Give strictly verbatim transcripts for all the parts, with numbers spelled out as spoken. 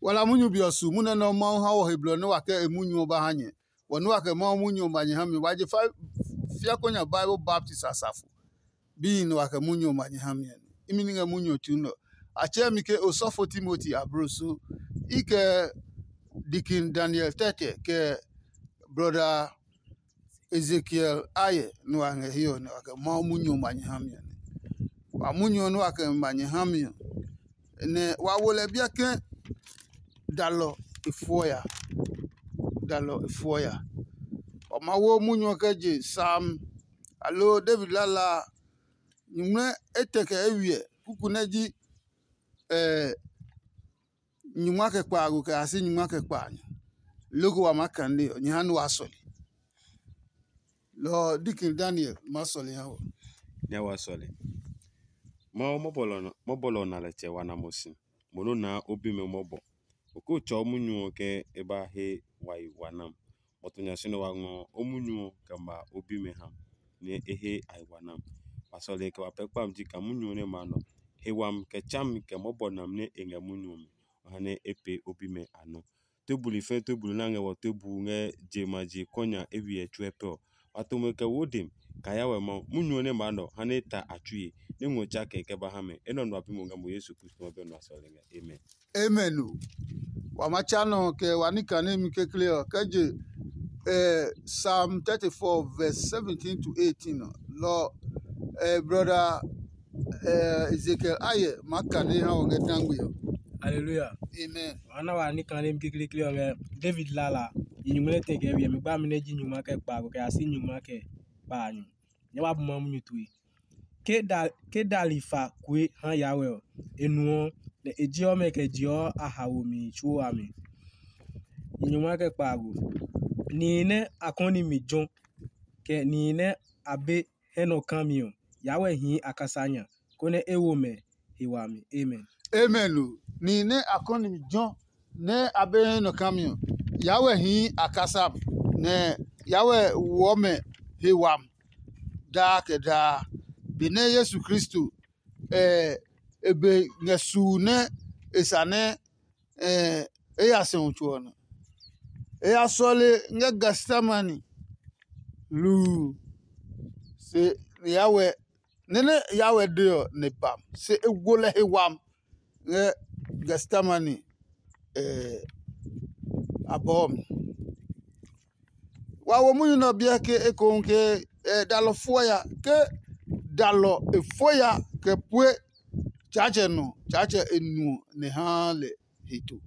Wa la munyu be ɔ su munyu nɛ Mawu ha wɔ he blɔ nɛ wa kɛ e munyu ɔ ba ha nyɛ. Wɔ nɛ wa kɛ Mawu munyu ɔ ma nyɛ ha mi. Wa je fa fiako nya Bible baptist asafo. Bihi nɛ wa kɛ munyu ɔ ma nyɛ ha mi ɔ. Imi nɛ ngɛ munyu ɔ tsu nɛ ɔ. A tsɛɛ mi ke osɔfo Timoti abloso. I kɛ Dikin Daniel tɛtɛ kɛ brɔda Ezekiel ayɛ nɛ wa ngɛ hiɛ ɔ nɛ wa kɛ Mawu munyu ɔ ma nyɛ ha mi ɔ nɛ. Wa munyu ɔ nɛ wa kɛ ma nyɛ ha mi ɔ, nɛ wa wo lɛ biɛ ke dalɔ e fuɔ ya. Dalɔ e fuɔ ya. Wa ma wo munyu ɔ kɛ je Sam, aloo David lala a, nyuŋmlɛ etɛ kɛ eywiɛ kuku nɛ ji nyungma kɛ kpaago kɛ ya si nyungma kɛ kpaanyɔ. Loko wa maa kane ɔ, nyɛ ha nɛ waa sɔle. Lɔ ɔ, Dikin Daniel maa sɔle ha wɔ. Nyɛ wa sɔle. Mawu mɔbɔlɔ ɔ na lɛ tsɛ wa na mo si. Mo nɔ naa o bimɛ mɔbɔ. O ko tsɔɔ munyu ɔ ke e ba he wa yi wa nam. Mɔtu nya si nɛ wa ngɔ o munyu ɔ kɛ ma o bimɛ ha nɛ e he a yi wa nam. Wa sɔle kɛ wa pɛ kpami ji kaa munyu ɔ nɛ ma nɔ. He wami kɛ tsami kɛ mɔbɔ nam nɛ e ngɛ munyu ɔ mi, wa ha nɛ e pee o bimɛ a nɔ. Tobuli fɛɛ tobuli nɛ a ngɛ wɔ tobu ngɛ je ma je kɔnya eywiɛ tsuɛ pɛ ɔ, wa to mo kɛ wo dem kaa ya wɛ Mawu. Munyu ɔ nɛ maa nɔ ha nɛ e ta a tsui, nɛ ngɔ tsa kɛ kɛ ba ha mɛ. Enɛ ɔ nɔ a bi mo ngɛ mo Yesu Kristo ɔ be nɔ a sɔle ngɛ. Amen. Amen o. Wa ma tsa nɔ kɛ wa ní kane mi kekle ɔ kɛ je eh, Psalm thirty-four verse seventeen to eighteen ɔ. Lɔ eh, brother eh, Ezekiel ayɛ ma kane ha wɔ ngɛ dangbe ɔ. Hallelujah. Amen. Wa na wa ní kane mi kekle ɔ ngɛ David lala. Yi nyumu nɛ tɛ kɛ wiɛ mi gba mi nɛ ji nyuma kɛ kpa ko kɛ ya si nyuma kɛ kpa nyu. Nyɛ wa bu ma munyu tue. Ke da ke dali fa kue ha Yahweh ɔ, e nuɔ, nɛ e jeɔ mɛ kɛ jeɔ a haomi tsuo a mi. Nyumu kɛ kpaago. Nihi nɛ a kɔni mi jɔ, kɛ nihi nɛ a be hɛ nɔ kami ɔ, Yahweh hii a kasa nya, konɛ e wo mɛ he wami. Amen. Amen o. Nihi nɛ a kɔni mi jɔ nɛ a be hɛ nɔ kami ɔ, Yahweh hii a kasa mi, nɛ Yahweh woɔ mɛ he wami daa kɛ daa. Benɛ Yesu Kristo e be ngɛ suu nɛ e sa nɛ e ya sɛu tso ɔ nɔ. E ya sɔle ngɛ Getsemane hluu, se Yahweh nɛ nɛ Yahweh de ɔ nɛ ba, se e wo lɛ he wami ngɛ Getsemane abɔɔ mi. Wa wo munyu nɛ ɔ biɛ ke ekohu ke dalɔ fuɔ ya, ke dalɔ e fuɔ ya kɛ pue Tsaatsɛ nɔ, Tsaatsɛ e nuɔ nɛ haa lɛ heto.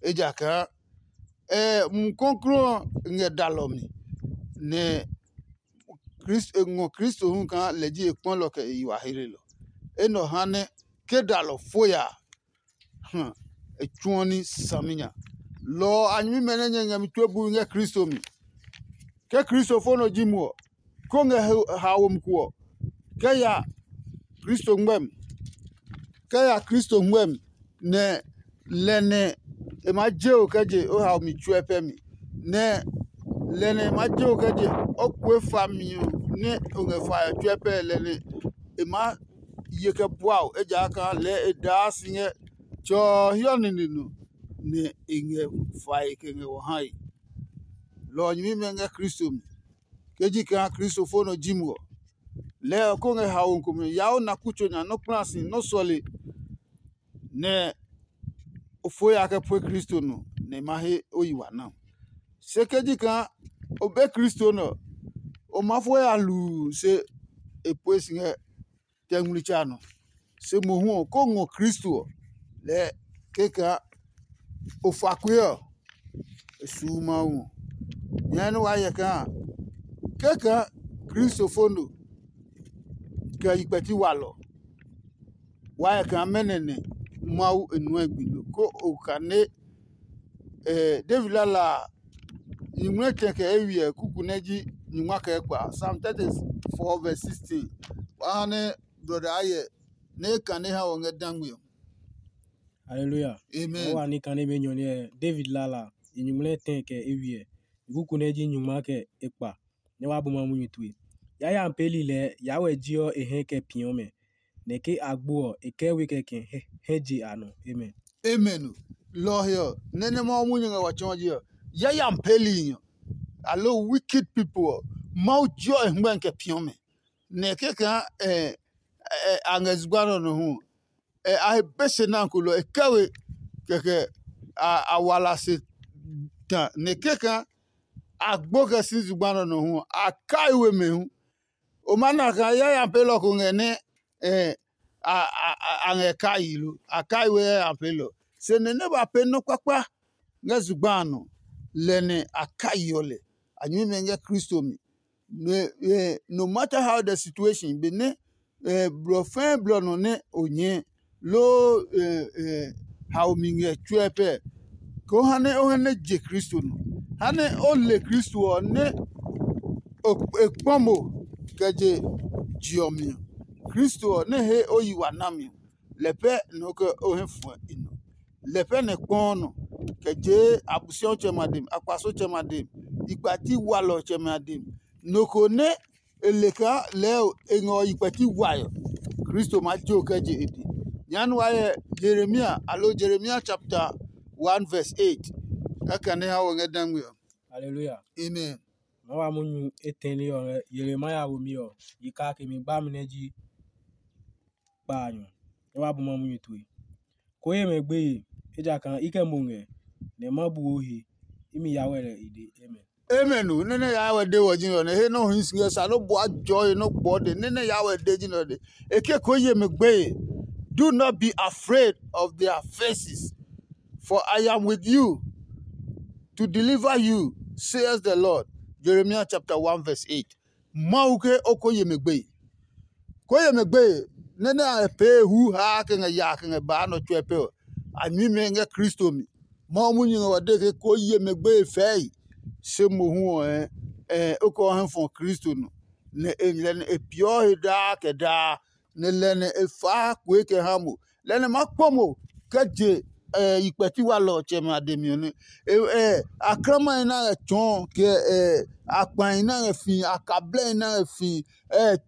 Ejakaa Mumi Klɔuklɔu ɔ ngɛ dalɔ mi, nɛ e ngɔ Kristo hu kaa lɛ ji e kpɔlɔ kɛ e yi wa heelelɔ. Enɛ ɔ ha nɛ ke dalɔ fo ya a, e tsuɔ ní saminya. Lɔ ɔ a nyɛmimɛ nɛ nyɛ ngɛ mi tue bui ngɛ Kristo mi. Ke Kristo fo nɔ ji mo ɔ, ko ngɛ haomi ko ɔ, kɛ ya Kristo ngmɛmi, kɛ ya Kristo ngmɛmi, nɛ lɛ nɛ e maa je o kɛ je o haomi tsuɛ pɛ mi, nɛ lɛ nɛ e maa je o kɛ je o kue fami ɔ nɛ o ngɛ fae ɔ tsuɛ pɛ lɛ nɛ e maa ye kɛ bua o, ejakaa lɛɛ e daa si ngɛ Tsɛ ɔ hiɔ nine nɔ, nɛ e ngɛ fae kɛ ngɛ wɔ hae. Lɔ ɔ nyɛmimɛ ngɛ Kristo mi. Ke ji kaa Kristo fo nɔ ji mo ɔ, lɛɛ ɔ ko ngɛ haomi komɛ yaa o na kutso nya nɔ́ kpla si nɔ́ sɔle, nɛ o fo ya kɛ pue Kristo nɔ, nɛ e ma he o yi wa na. Se ke ji kaa o be Kristo nɛ ɔ, o maa fo ya hluu se e pue si ngɛ tɛ ngmlitsa nɔ. Se mohu ɔ, ko ngɔ Kristo ɔ, lɛɛ kɛkaa o fa kue ɔ, e suu Mawu ɔ. Nyɛɛ nɛ waa hyɛ kaa kɛkaa Kristo fo no kɛ yi kpɛti walɔ. Waa hyɛ kaa mɛnɔ nɛ Mawu e nuɛ gbi lo, ko o kane David lala a, nyumu nɛ tɛ kɛ eywiɛ kuku nɛ ji nyungma kɛ kpa. Psalm thirty-four verse sixteen. Wa ha nɛ brɔda Ayɛ nɛ e kane ha wɔ ngɛ dangme ɔ. Hallelujah. Amen. Wa ni kane be nyɔ nɛ David lala, nyumu nɛ tɛ kɛ eywiɛ kuku nɛ ji nyungma kɛ ekpa. Nɛ wa bu ma munyu tue. Yayami peeli lɛɛ Yahweh jiɔ e hɛ kɛ piɔ mɛ, nɛ ke a gbo ɔ, e kɛ we kɛ kɛ hɛ je a nɔ. Amen. Amen. Lɔ ɔ he ɔ, nɛ nɛ Mawu munyu ngɛ wa tsɔɔ ji ɔ, yayami peeli ɔ, aloo wicked people ɔ, Mawu jeɔ e hɛngmɛ kɛ piɔ mɛ. Nɛ kɛkaa a ngɛ zugba nɛ ɔ nɔ hu ɔ, a he be se nɛ a ko lɔ e kɛ we, kɛkɛ a wala se ta. Nɛ kɛkaa a gbo kɛ si zugba nɛ ɔ nɔ hu ɔ, a kai we mɛ hu. O ma na kaa yayami peelɔ ko ngɛ nɛ a ngɛ kai lo, a kai we yayami peelɔ. Se nɛ nɛ ba pee nɔ́ kpakpa ngɛ zugba a nɔ, lɛ nɛ a kaiɔ lɛ. A nyɛmimɛ ngɛ Kristo mi. No matter how the situation, benɛ blɔ fɛɛ blɔ nɔ nɛ o nyɛɛ loo haomi ngɛ tsuɛ pɛ, koo ha nɛ o hɛ nɛ je Kristo nɔ. Ha nɛ o le Kristo ɔ nɛ e kpɔ mo kɛ je je ɔ mi ɔ. Kristo ɔ nɛ he o yi wa nami ɔ, lɛ pɛ nɔ kɛ o hɛ fuɛ i nɔ. Lɛ pɛ nɛ kpɔɔ nɔ kɛ jee Abosiɔtsɛmɛ a dem, akpasotsɛmɛ a dem, ikpati walɔtsɛmɛ a dem. Nɔ ko nɛ e le kaa lɛɛ e ngɛ ɔ yi kpɛti wae ɔ, Kristo maa jo kɛ je e dɛ. Nyɛɛ nu wa hyɛ Yeremia, aloo Jeremia chapter one verse eight. Kɛkɛ nɛ ha wɔ ngɛ dangme ɔ. Haleluya. Amen. Ma wa munyu etɛne ɔ ngɛ Yeremia womi ɔ yi kake mi gbami nɛ ji kpaanyɔ. Nyɛ wa bu ma munyu tue. Ko ye mɛ gbeye, ejakaa i kɛ mo ngɛ, nɛ ma bu o he. Imi ya wɛ lɛ i de. Amen. Amen o. Nene ya wɛ de wɔ ji nɔ ne he nɔ hi si ngɛ sa no bua jɔ he nɔ gbɔ de. Nene ya wɛ de ji nɔ de. Eke ko ye mɛ gbeye. Do not be afraid of their faces, for I am with you to deliver you, says the Lord. Jeremiah chapter one verse eight. Mawu ke o ko ye mɛ gbeye. Ko ye mɛ gbeye, nɛ nɛ a ngɛ pee hu haa kɛ ngɛ yaa kɛ ngɛ baa nɔ tsuɛ pɛ ɔ, a nyuimɛ ngɛ Kristo mi. Mawu munyu ngɛ wa de ke ko ye mɛ gbeye fɛɛe, se mohu ɔ, ɛ, o kɛ o hɛ fɔ Kristo nɔ, nɛ e lɛ nɛ e peeɔ he daa kɛ daa, nɛ lɛ nɛ e faa kue kɛ ha mo. Lɛ nɛ ma kpɔ mo kɛ je yi kpɛti walɔtsɛmɛ a dɛ mi ɔ nɛ. Aklamahi nɛ a ngɛ tsɔɔ, kɛ akpahi nɛ a ngɛ fii, akablɛhi nɛ a ngɛ fii,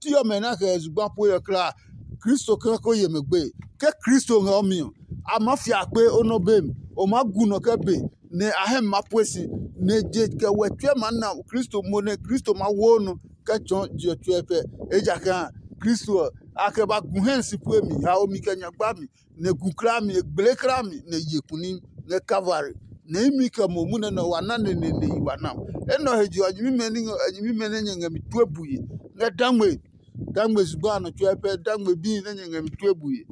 ti ɔmɛ nɛ a kɛ zugba pue ɔ kulaa, Kristo kɛ ko ye mɛ gbe. Ke Kristo ngɛ o mi ɔ, a maa fi akpe o nɔ be mi. O maa gu nɔ kɛ be, nɛ a hɛ mi maa pue si, nɛ je kɛ wɛ tsuɛ maa na Kristo mo nɛ Kristo maa wo nɔ kɛ tsɔɔ je ɔ tsuɛ pɛ. Ejakaa Kristo ɔ, a kɛ ba gu hɛ si pue mi, haomi kɛ nyagba mi, nɛ gu kla mi, e gble kla mi, nɛ ye kuni ngɛ Kalvari. Nɛ imi kɛ mo munɛ nɛ wa na neneene yi wa na. Enɛ ɔ he je ɔ, nyɛmimɛ nɛ nyɛ ngɛ mi tue bue ngɛ dangme, dangme zugba a nɔ tsuɛ pɛ, dangme bíi nɛ nyɛ ngɛ mi tue bue.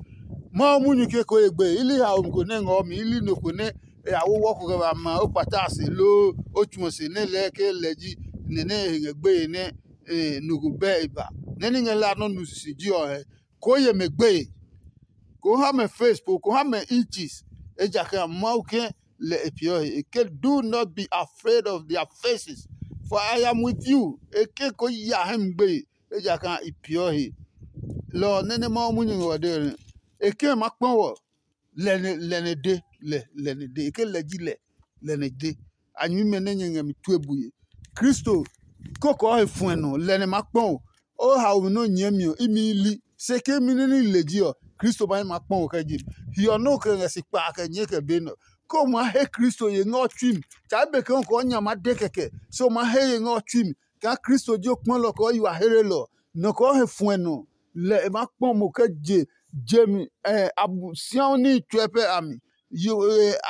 Mawu munyu ke ko ye gbe, i li haomi ko nɛ ngɔɔ mi, i li nɔ ko nɛ e ya wowɔ ko kɛ ba ma o kpata a se loo o tsu ɔ se nɛ lɛɛ ke lɛ ji nɛ nɛ e he ngɛ gbeye nɛ nɔ ko bɛ e ba. Nɛ ní ngɛ la nɔ́ nu sisi ji ɔ hɛ, koo ye mɛ gbeye, koo ha mɛ face po, koo ha mɛ inches, ejakaa Mawu ke lɛ e peeɔ he. E ke, do not be afraid of their faces, for I am with you. E ke ko ya hɛ mi gbeye, ejakaa i peeɔ he. Lɔ ɔ nɛ nɛ Mawu munyu ngɛ wɔ de ɔ nɛ. E ke ma kpɔ wɔ, lɛ nɛ lɛ nɛ de lɛ lɛ nɛ de. E ke lɛ ji lɛ lɛ nɛ de. A nyuimɛ nɛ nyɛ ngɛ mi tue bue. Kristo kokoo he fuɛ nɔ, lɛ nɛ ma kpɔ o. O haomi nɛ o nyɛɛ mi ɔ, imi i li. Se ke imi nɛ ní le ji ɔ, Kristo ma nɛ ma kpɔ o kɛ je mi. Hiɔ nɛ o kɛ ngɛ si kpaa kɛ nyɛɛ kɛ be nɛ ɔ, ke o maa he Kristo ye ngɛ o tsui mi. Tsa be ke o kɛ o nya ma de kɛkɛ, se o maa he ye ngɛ o tsui mi. Kaa Kristo ji o kpɔlɔ kɛ o yi wa hlelɔ, nɔ kɛ o he fuɛ nɔ, lɛ e maa kpɔ mo kɛ je je mi. Abosiaɔ níhi tsuɛ pɛ a mi.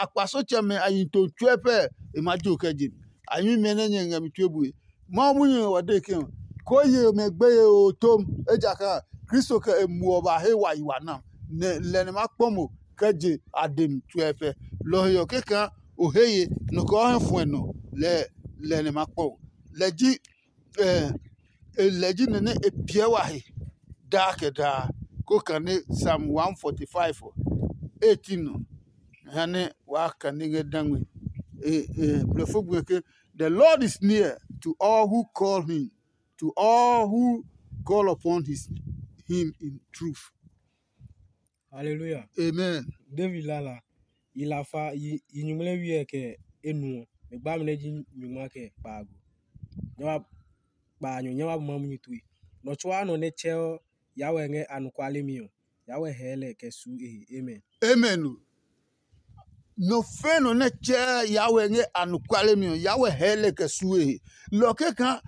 Akpasotsɛmɛ a yi to tsuɛ pɛ, e maa jo kɛ je mi. A nyuimɛ nɛ nyɛ ngɛ mi tue bue. Mawu munyu ɔ wa de ke, koo ye mɛ gbeye oo tom, ejakaa Kristo kɛ e muɔ ba he wa yi wa na, nɛ lɛ nɛ ma kpɔ mo kɛ je a de mi tsuɛ pɛ. Lɔ ɔ he ɔ, kɛkaa o he ye nɔ kɛ o hɛ fuɛ nɔ, lɛ lɛ nɛ ma kpɔ o. Lɛ ji lɛ ji nɛ nɛ e piɛ wa he daa kɛ daa. Ko kane Psalm one forty-five ɔ, eighteen nɔ, ha nɛ waa kane ngɛ dangme. Blɔfo gbe ke, the Lord is near to all who call him, to all who call upon his him in truth. Haleluya. Amen. David lala, yi lafa, yi nyuŋmlɛ́ wiɛ kɛ enuɔ, mɛ gbami nɛ ji nyungma kɛ kpaago. Nyɛ wa kpaanyɔ, nyɛ wa bu ma munyu tue. Nɔ tsuaa nɔ nɛ tsɛɔ Yawɛ ngɛ anɔkuale mi ɔ, Yawɛ hɛɛ lɛ kɛ su e he. Amen. Amen o. Nɔ fɛ̃ nɔ nɛ tsɛɛ Yahweh ngɛ anɔkuale mi ɔ, Yahweh hɛɛ lɛ kɛ suo e he. Lɔ kɛkaa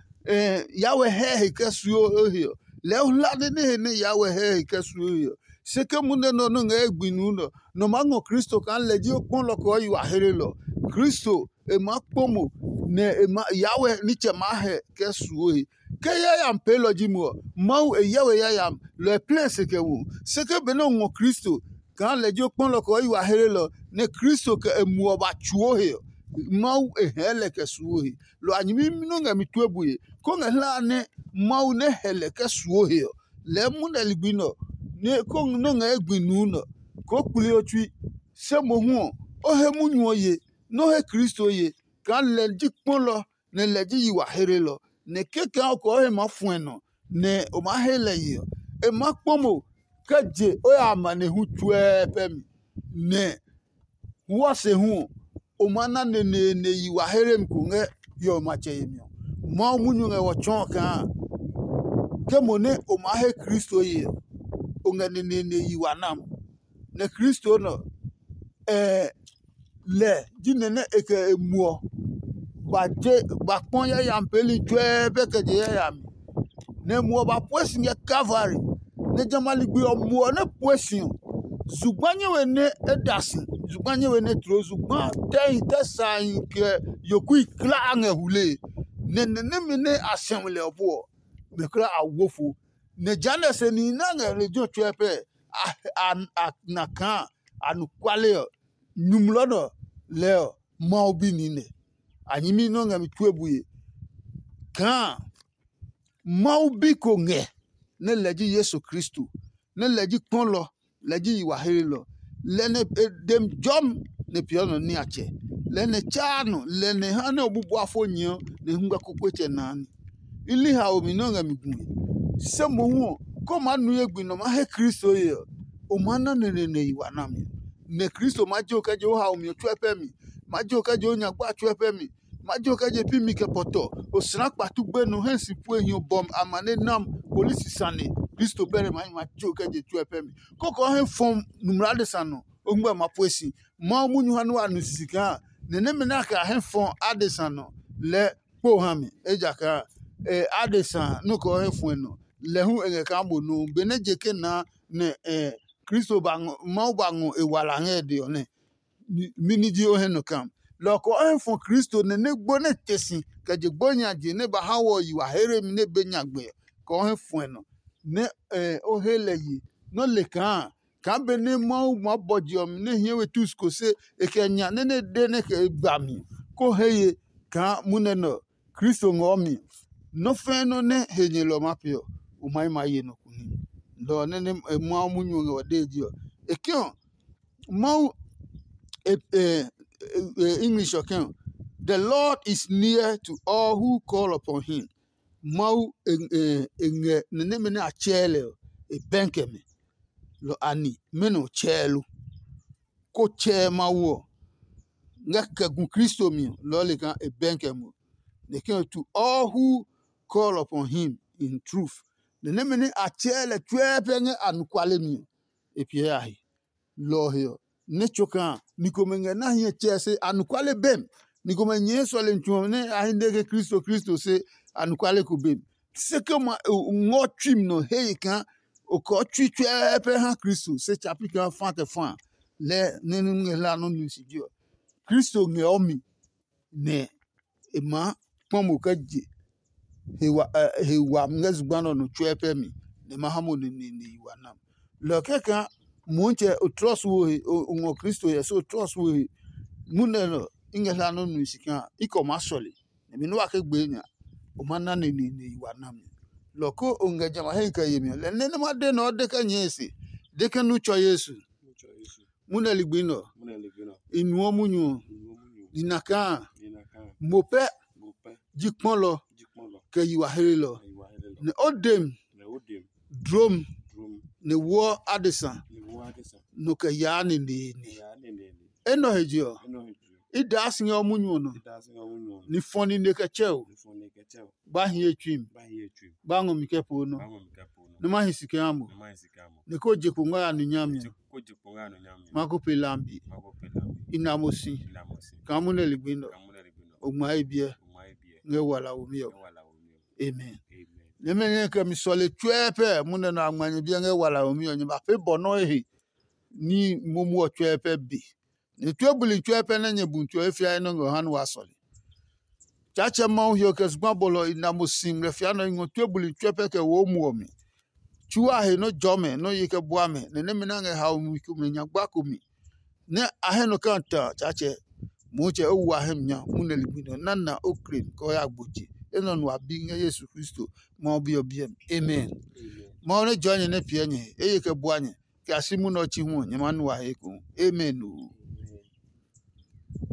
Yahweh hɛɛ he kɛ suo e he ɔ, lɛɛ o hla nɛ nɛ he nɛ Yahweh hɛɛ he kɛ suo e he ɔ. Se ke munɛ nɔ nɔ ngɛ e gbi nuu nɔ, nɔ maa ngɔ Kristo kaa lɛ ji o kpɔlɔ kɛ o yi wa hlelɔ. Kristo e maa kpɔ mo, nɛ e ma Yahweh nitsɛ maa hɛ kɛ suo he. Ke yayami peelɔ ji mo ɔ, Mawu e hyɛ we yayami, lɔ e plɛ si kɛ wu. Se ke benɛ o ngɔ Kristo kaa lɛ ji o kpɔlɔ kɛ o yi wa hlelɔ, nɛ Kristo kɛ e muɔ ba tsuo he ɔ, Mawu e hɛɛ lɛ kɛ suo he. Lɔ a nyɛmimi nɔ́ ngɛ mi tue bue, kó ngɛ hlae nɛ Mawu nɛ hɛ lɛ kɛ suo he ɔ, lɛɛ munɛ ligbi nɔ, nɛ kó nɔ́ ngɛ e gbi nuu nɔ, koo kpli o tsui. Se mohu ɔ, o he munyu ɔ ye, nɛ o he Kristo ye, kaa lɛ ji kpɔlɔ, nɛ lɛ ji yi wa hlelɔ, nɛ kɛkaa o kɛ o he maa fuɛ nɔ, nɛ o maa he lɛ ye ɔ, e maa kpɔ mo kɛ je o ya amanehlu tsuɛɛ pɛ mi, nɛ wɔ se hu ɔ, o maa na neneene yi wa hlemi ko ngɛ hiɔwe matsɛ yemi ɔ. Mawu munyu ngɛ wɔ tsɔɔ kaa ke mo nɛ o maa he Kristo ye ɔ, o ngɛ neneene yi wa nam. Nɛ Kristo nɔ, ɛɛ lɛ ji nɛ nɛ e kɛ e muɔ ba je ba kpɔ yayami peeli tsuɛɛ pɛ kɛ je yayami. Nɛ muɔ ba pue si ngɛ Kalvari, nɛ jamɛ a ligbi ɔ muɔ nɛ pue si ɔ, zugba nyɛ we nɛ e da si, zugba nyɛ we nɛ tloo, zugba tɛhi tɛ sahi kɛ yokui kla a ngɛ hule, nɛ nɛ nɛmɛ nɛ a sɛu lɛ ɔ po ɔ, mɛ kla a wo fo. Nɛ jehanɛ se nihi nɛ a ngɛ lejɛ ɔ tsuɛ pɛ a a na kaa anɔkuale ɔ, nyumu lɔ nɔ lɛɛ ɔ, Mawu bi niinɛ. A nyɛmi nɛ o ngɛ mi tue bue kaa Mawu bi ko ngɛ, nɛ lɛ ji Yesu Kristo, nɛ lɛ ji kpɔlɔ, lɛ ji yi wa hlelɔ. Lɛ nɛ e dem jɔmi nɛ peeɔ nɔ niatsɛ. Lɛ nɛ tsaa nɔ, lɛ nɛ ha nɛ o bubua fo nyɛɔ nɛ hungba kpokpotsɛ naa ní. I li haomi nɛ o ngɛ mi gue. Se mohu ɔ, ke o maa nu ye gbi nɛ o maa he Kristo ye ɔ, o maa na neneene yi wa nami. Nɛ Kristo maa je o kɛ je o haomi ɔ tsuɛ pɛ mi, maa je o kɛ je o nyagba tsuɛ pɛ mi, maa je o kɛ je pi mi kɛ pɔtɔ, o sina kpatu gbenu hɛ si pue hiɔ bɔmi amane nam polisi sane. Kristo pɛ nɛ maa ma je o kɛ je tsuɛ pɛ mi. Kɔkɔ he fɔm numla adesa nɔ, o ngmɛ ma pue si. Mawu munyu ha nɛ wa nu sisi kaa nɛ nɛmɛ nɛ a kɛ a hɛ fɔ adesa nɔ lɛɛ kpo ha mi, ejakaa e adesa nɔ́ kɛ o hɛ fuɛ nɔ, lɛ hu e ngɛ kaa mo nuu. Benɛ je ke naa nɛ e Kristo ba ngɔ, Mawu ba ngɔ e wala ngɛ e dɛ ɔ nɛ, mɛni ji o hɛ nɔ kam? Lɔ ɔ kɛ o hɛ fɔ Kristo nɛ nɛ gbo nɛ te si kɛ je gbo nya je nɛ ba ha wɔ yi wa here mi nɛ be nyagbe ɔ, kɛ o hɛ fuɛ nɔ, nɛ e o he lɛ ye nɔ́ le kaa kaa benɛ Mawu maa bɔ je ɔ mi nɛ hie we tus ko se e kɛ nya nɛ nɛ de nɛ kɛ e ba mi, ko he ye kaa munɛ nɛ ɔ, Kristo ngɔɔ mi. Nɔ́ fɛ̃ɛ nɔ́ nɛ he nyɛlɔ maa pee ɔ, o ma yi ma ye nɔ ko ní. Lɔ ɔ nɛ nɛ Mawu munyu ɔ ngɛ wa dee ji ɔ. E ke ɔ, Mawu e e e English ɔ ke ɔ, the Lord is near to all who call upon him. Mawu e e e ngɛ nɛ nɛmɛ nɛ a tsɛɛ lɛ ɔ, e bɛn kɛ mɛ. Lɔ ani mɛnɔ tsɛɛ lo? Ko tsɛɛ Mawu ɔ ngɛ kɛ gu Kristo mi ɔ, lɔ ɔ le kaa e bɛn kɛ mo. Nɛ ke ɔ to all who call upon him in truth. Nɛ nɛmɛ nɛ a tsɛɛ lɛ tsuɛ pɛ ngɛ anɔkuale mi ɔ, e piɛ a he. Lɔ ɔ he ɔ, nɛ tso kaa ni komɛ ngɛ na hiɛ tsɛɛ se anɔkuale bɛm. Ni komɛ nyɛɛ sɔlemi tsu ɔ nɛ a hi nɛ ke Kristo Kristo se anɔkuale ko bem. Se ke ma ngɔ tsui mi nɔ he ye kaa o kɔɔ tsui tsuɛɛpɛ ha Kristo se tsa pi kaa fa kɛ fa lɛ nɛ nɛ ngɛ hla nɔ nu si ji ɔ. Kristo ngɛ ɔ mi nɛ e maa kpɔ mo kɛ je he wa ɛ he wa ngɛ zugba nɛ ɔ nɔ tsuɛ pɛ mi nɛ e ma ha mo neneene yi wa nam. Lɔ kɛkaa Motsɛ o trɔs wo he o ngɔ Kristo hyɛ se o trɔs wo he munɛ nɛ ɔ i ngɛ hla nɔ nu si kaa i kɛ o maa sɔle. Nɛ mi nɛ wa ke gbee nya o ma na neneene yi wa nami. Lɔ ko o ngɛ jamɛ a hɛ kɛ yemi ɔ lɛ nɛ nɛ ma de nɛ ɔ de kɛ nyɛe se de ke nu tsɔ Yesu. Munɛ ligbi nɛ ɔ i nuɔ munyu ɔ. Nina kaa mo pɛ ji kpɔlɔ kɛ yi wa helelɔ. Nɛ o dem drom nɛ woɔ adesa nɔ kɛ yaa neneene. Enɛ ɔ he je ɔ, i daa si ngɛ o munyu ɔ nɔ. Ni fɔ nine kɛ tsɛ o. Ba hi ye tsui mi. Ba ngɔ mi kɛ po nɔ. Nɛ ma hi si kɛ ha mo. Nɛ ko je kpo ngɔ ya nu nyami ɔ. Ma ko pe lambi. i na mo si kaa munɛ ligbi nɛ o ngma ye biɛ ngɛ wala womi ɔ. Amen. Nɛmɛ nɛ kɛ mi sɔle tsuɛ pɛ munɛ nɔ a ngma nyɛ biɛ ngɛ wala womi ɔ, nyɛ ba pee bɔ nɔ́ ehe ní momu ɔ tsuɛ pɛ be. Nɛ tue buli tsuɛ pɛ nɛ nyɛ bu tue fiae nɔ́ ngɛ ha nɛ wa sɔle. Tsaatsɛ Mawu hiɔ kɛ zugba bɔlɔ i na mo si ngmlɛ fia nɔ i ngɔ tue buli tsuɛ pɛ kɛ wo muɔ mi. Tsu a he nɔ́ jɔ mɛ nɔ́ ye kɛ bua mɛ, nɛ nɛmɛ nɛ a ngɛ haomi komɛ nya gba ko mi, nɛ a hɛ nɔ kaa ta Tsaatsɛ. Motsɛ o wu a hɛ mi nya munɛ ligbi nɔ na na o klen kɛ o ya gbo je. Enɛ ɔ nu a bi ngɛ Yesu Kristo Mawu Bi ɔ biɛ mi. Amen. Mawu nɛ jɔɔ nyɛ nɛ piɛ nyɛ he, eye kɛ bua nyɛ, kɛ a si munɛ ɔ chi hu ɔ, nyɛ maa nu a he ekohu. Amen oo.